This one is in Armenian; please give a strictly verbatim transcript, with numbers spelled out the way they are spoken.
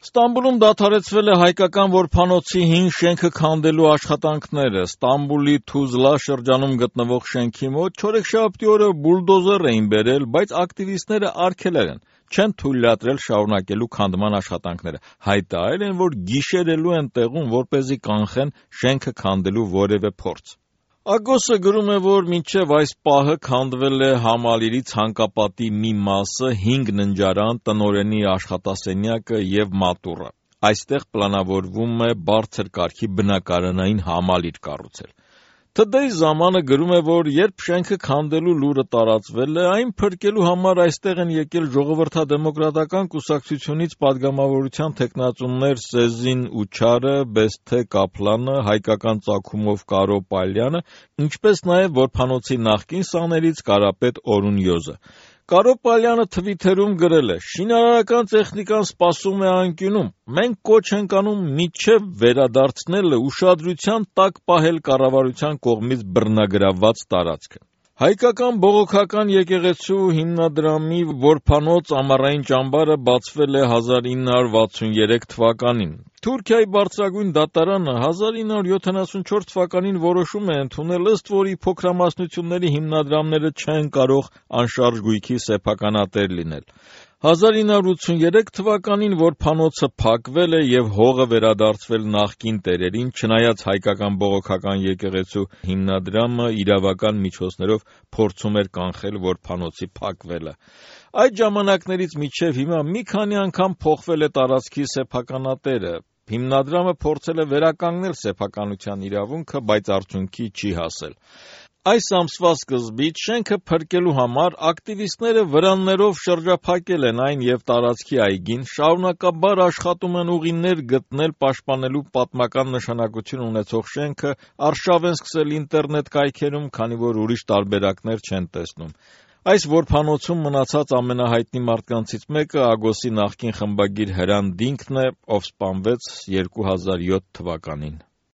Ստամբուլում դադարեցվել է հայկական որբանոցի հին շենքը քանդելու աշխատանքները։ Ստամբուլի Թուզլա շրջանում գտնվող շենքի մոտ չորեքշաբթի օրը բուլդոզեր էին բերել, բայց ակտիվիստները արգելել են, չեն թույլատրել շարունակելու քանդման աշխատանքները, հայտարարել են, որ գիշերելու են տեղում, որպեսզի կանխեն շենքը քանդելու որևէ փորձ։ Ագոսը գրում է, որ մինչև այս պահը քանդվել է Համալիրի ցանկապատի մի մասը, հինգ ննջարան, տնօրենի աշխատասենյակը և մատուռը։ Այստեղ պլանավորվում է բարձր կարգի բնակարանային համալիր կառուցել։ Today ժամանը գրում է, որ երբ շենքը քանդելու լուրը տարածվել է, այն փրկելու համար այստեղ են եկել ժողովրդադեմոկրատական կուսակցությունից падգամավորության թեկնածուներ Սեզին Ուչարը, Բեսթե Կապլանը, հայկական ծագումով Կարո Պալյանը, ինչպես նաև որբանոցի նախկին սաներից Կարապետ Օրուն Յոզը։ Կարո Պալյանը թվիթերում գրել է. «Շինարարական տեխնիկան սպասում է անկյունում։ Մենք կոչ ենք անում մինչև վերադարձնելը ուշադրության տակ պահել կառավարության կողմից բռնագրավված տարածքը»։ Հայկական բողոքական եկեղեցու հիմնադրամի որբանոց ամառային ճամբարը բացվել է հազար ինը հարյուր վաթսուներեք թվականին։ Թուրքիայի բարձրագույն դատարանը հազար ինը հարյուր յոթանասունչորս թվականին որոշում է ընդունել, ըստ որի փոքրամասնությունների հիմնադրամները չեն կարող անշարժ գույքի սեփականատեր լինել։ հազար ինը հարյուր ութսուներեք թվականին որբանոցը փակվել է և հողը վերադարձվել նախկին տերերին, չնայած հայկական բողոքական եկեղեցու հիմնադրամը իրավական միջոցներով փորձում էր կանխել որբանոցի փակվելը։ Այդ ժամանակներից մինչև հիմա մի քանի անգամ փոխվել է տարածքի սեփականատերը։ Հիմնադրամը փորձել է վերականգնել սեփականության իրավունքը, բայց արդյունքի չի հասել։ Այս ամսվա սկզբից շենքը փրկելու համար ակտիվիստները վրաններով շրջափակել են այն և տարածքի այգին, շարունակաբար աշխատում են ուղիներ գտնել պաշտպանելու պատմական նշանակություն ունեցող շենքը, արշավ են սկսել ինտերնետ կայքերում, քանի որ ուրիշ տարբերակներ չեն տեսնում։ Այս որբանոցում մնացած ամենահայտնի մարդկանցից մեկը Ագոսի նախկին խմբագիր Հրան Դինքն է, ով սպանվեց երկու հազար յոթ թվականին։